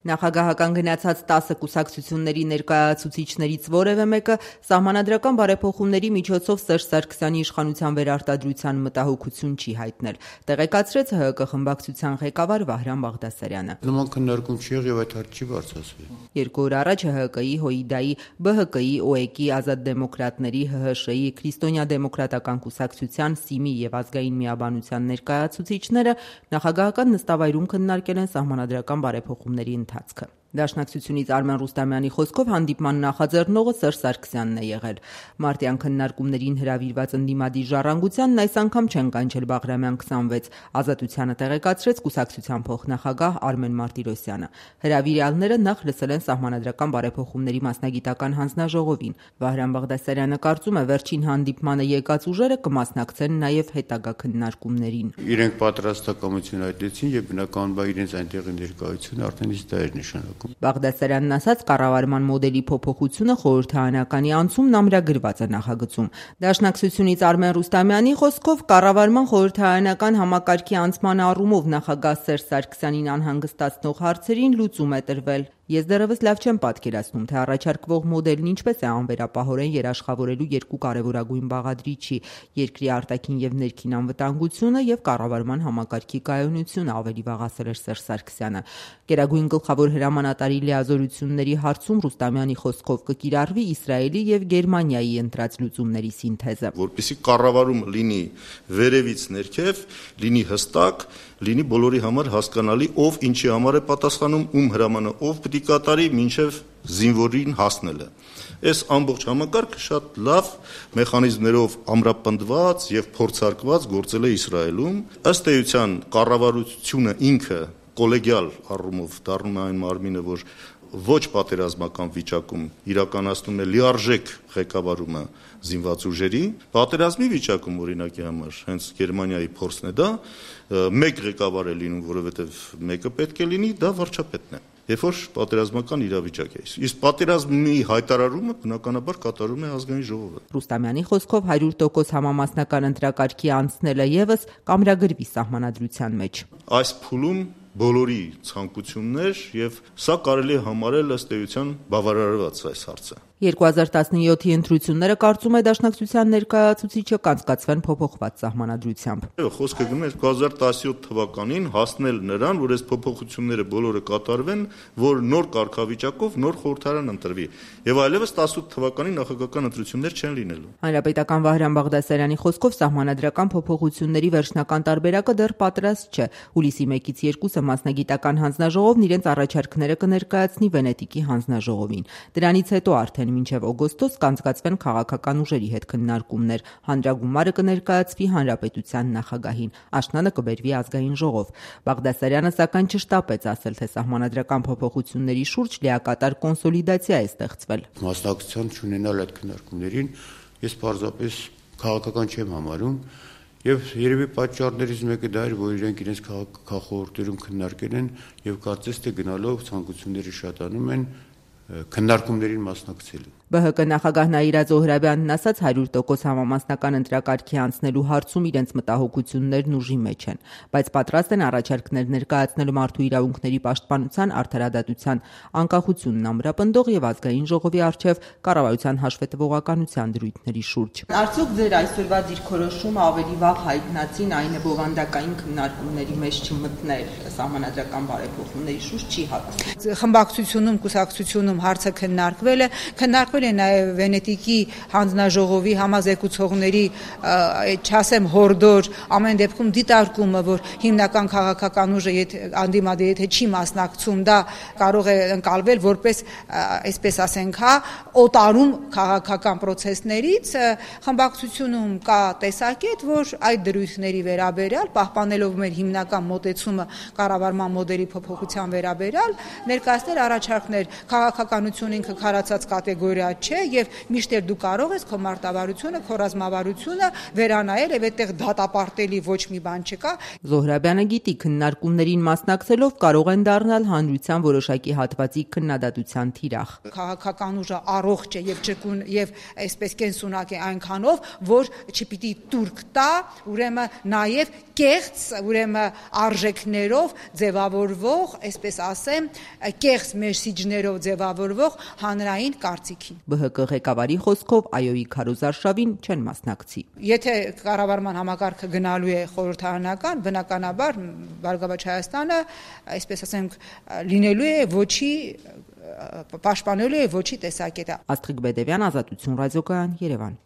Նախագահական գնացած 10 կուսակցությունների ներկայացուցիչներից որևէ մեկը սահմանադրական բարեփոխումների միջոցով Սերժ Սարգսյանի իշխանության վերարտադրության մտահոգություն չի հայտնել, տեղեկացրեց ՀՀԿ խմբակցության ղեկավար Վահրամ Բաղդասարյանը։ Նման քննարկում չի եղել եւ այդ հարց չի բարձրացվել։ 2 օր առաջ ՀՀԿ-ի, ՀՅԴ-ի, ԲՀԿ-ի, ՕԵԿ-ի, Ազատ դեմոկրատների, ՀՀՇ-ի, Քրիստոնյա դեմոկրատական կուսակցության, ՍԻՄ-ի եւ Ազգային միաբանության ներկայացուցիչները նախագահական նստավայրում քննարկել են սահմանադրական բարեփոխումների ընթացքը։ Դաշնակցությունից Արմեն Ռուստամյանի խոսքով հանդիպման նախաձեռնողը Սերժ Սարգսյանն է եղել։ Մարտյան քննարկումներին հրավիրված ընդդիմադիր ժառանգությանն այս անգամ չեն կանչել Բաղրամյան 26, Ազատությանը տեղեկացրեց կուսակցության փոխնախագահ Արմեն Մարտիրոսյանը։ Հրավիրյալները նախ լսել են սահմանադրական բարեփոխումների մասնագիտական հանձնաժողովին։ Վահրամ Բաղդասարյանը կարծում է, վերջին հանդիպմանը եկած ուժերը կմասնակցեն նաև հետագա քննարկումներին։ Իրենք պատրաստակամություն հայտնեցին եւ բնականաբար իրենց այնտեղի ներկայությունը արդեն իսկ դա էր նշանակում։ Բաղդասարյանն ասաց, կառավարման մոդելի փոփոխությունը խորհրդարանականի անցումն ամրագրված է նախագծում։ Դաշնակցությունից Արմեն Ռուստամյանի խոսքով կառավարման խորհրդարանական համակարգի անցման առումով նախագահ Սերժ Սարգսյանին անհանգստացնող հարցերին լուծում է տրվել։ Ես դեռևս լավ չեմ պատկերացնում, թե առաջարկվող մոդելն ինչպես է անվերապահորեն երաշխավորելու երկու կարևորագույն բաղադրիչի՝ երկրի արտաքին եւ ներքին անվտանգությունը եւ կառավարման համակարգի կայունությունը, ավելի վաղ ասել էր Սերժ Սարգսյանը։ Գերագույն գլխավոր հրամանատարի լիազորությունների հարցում Ռուստամյանի խոսքով կկիրառվի Իսրայելի եւ Գերմանիայի ընտրած լուծումների սինթեզը, որպեսզի կառավարումը լինի վերևից ներքև, լինի հստակ, լինի բոլորի համար հասկանալի, ով ինչի համար է պատասխանում, ում հրամանը ով պետք է կատարի մինչև զինվորին հասնելը։ Այս ամբողջ համակարգը շատ լավ մեխանիզմներով ամրապնդված եւ փորձարկված գործել է Իսրայելում։ Ըստ էության կառավարությունը ինքը կոլեգիալ առումով դառնում է այն մարմինը, որ ոչ պատերազմական վիճակում իրականացնում է լիարժեք ղեկավարումը զինված ուժերի, պատերազմի վիճակում օրինակի համար հենց Գերմանիայի փորձն է դա, մեկ ղեկավար է լինում, որովհետև մեկը պետք է լինի, դա վարչապետն է։ Երբ որ պատերազմական իրավիճակ է։ Իսկ պատերազմի հայտարարումը բնականաբար կատարում է ազգային ժողովը։ Ռուստամյանի խոսքով 100% համամասնական ընտրակարգի անցնելը եւս կամրագրվի սահմանադրության մեջ։ Այս փուլում բոլորի ցանկություններ եւ սա կարելի է համարել ըստ էության բավարարված այս հարցը։ 2017-ի ընտրությունները կարծում է դաշնակցության ներկայացուցիչը կանցկացվեն փոփոխված սահմանադրությամբ։ Խոսքը գնում է 2017 թվականին հասնել նրան, որ այս փոփոխությունները բոլորը կատարվեն, որ նոր կարգավիճակով նոր խորհրդարան ընտրվի եւ այլևս 18 թվականի նախագահական ընտրություններ չեն լինելու։ Հանրապետական Վահրամ Բաղդասարյանի խոսքով սահմանադրական փոփոխությունների վերջնական տարբերակը դեռ պատրաստ չէ։ Հուլիսի 1-ից 2-ը մասնագիտական հանձնաժողովն իրենց առաջարկները կներկայացնի Վենետիկի հանձնաժողովին։ Դրանից հետո արդեն մինչև օգոստոս կանցկացվեն քաղաքական ուժերի հետ քննարկումներ, հանրագումարը կներկայացվի հանրապետության նախագահին, աշնանը կբերվի ազգային ժողով։ Բաղդասարյանը սակայն չշտապեց ասել, թե սահմանադրական փոփոխությունների շուրջ լիակատար կոնսոլիդացիա է ստեղծվել։ Մասնակցության չունենալ այդ քննարկումներին ես պարզապես քաղաքական չեմ համարում եւ երևի պատճառներից մեկը դա էր, որ իրենց քաղաքախորհուրդներում քննարկել են եւ կարծես թե գնալով ցանկությունները շատանում են քննարկումներին մասնակցելու։ ԲՀԿ նախագահ Նաիրա Զոհրաբյանն ասաց 100% համամասնական ընտրակարգի անցնելու հարցում իրենց մտահոգություններն ուժի մեջ են, բայց պատրաստ են առաջարկներ ներկայացնել մարդու իրավունքների պաշտպանության, արդարադատության, անկախությունն ամրապնդող եւ ազգային ժողովի առջեւ կառավարության հաշվետվողականության դրույթների շուրջ։ Արդյոք ձեր այսօրվա դիրքորոշումը ավելի վաղ հայտնածին այն է բովանդակային քննարկումների մեջ չմտնել սահմանադրական բարեփոխումների շուրջ չի հատուցվում։ Խմբակցությունում, կուսակցությունում հարցը քննարկվել է նաև Վենետիկի հանձնաժողովի համազեկուցողների, չասեմ հորդոր, ամեն դեպքում դիտարկումը, որ հիմնական քաղաքական ուժը անդիմադիր եթե չի մասնակցում, դա կարող է ընկալվել որպես, այսպես ասենք, օտարում քաղաքական process-ներից, խմբակցությունում կա տեսակետ, որ այդ դրույթների վերաբերյալ, պահպանելով մեր հիմնական մոտեցումը կառավարման մոդելի փոփոխության վերաբերյալ, ներկայացնել առաջարկներ քաղաքականություն ինքը քարացած կատեգորիա չէ եւ միշտ դու կարող ես քո մարտավարությունը, քո ռազմավարությունը վերանայել եւ այդտեղ դատապարտելի ոչ մի բան չկա։ Զոհրաբյանը գիտի, քննարկումներին մասնակցելով կարող են դառնալ հանրության որոշակի հատվածի քննադատության թիրախ։ Քաղաքական ուժը առողջ է եւ ճկուն եւ այսպես կենսունակ է այնքանով, որ չպիտի турք տա, ուրեմն նաեւ կեղծ, ուրեմն արժեքներով ձևավորվող, այսպես ասեմ, կեղծ մեսիջներով ձևավորվող հանրային կարծիքին։ ԲՀԿ ղեկավարի խոսքով այոյի քարոզարշավին չեն մասնակցի։ Եթե կառավարման համակարգը գնալու է խորհրդարանական, բնականաբար Բարգավաճ Հայաստանը, այսպես ասենք, լինելու է ոչի պաշտպանելու է ոչի տեսակետը։ Աստղիկ Բեդևյան, Ազատություն ռադիոկայան, Երևան։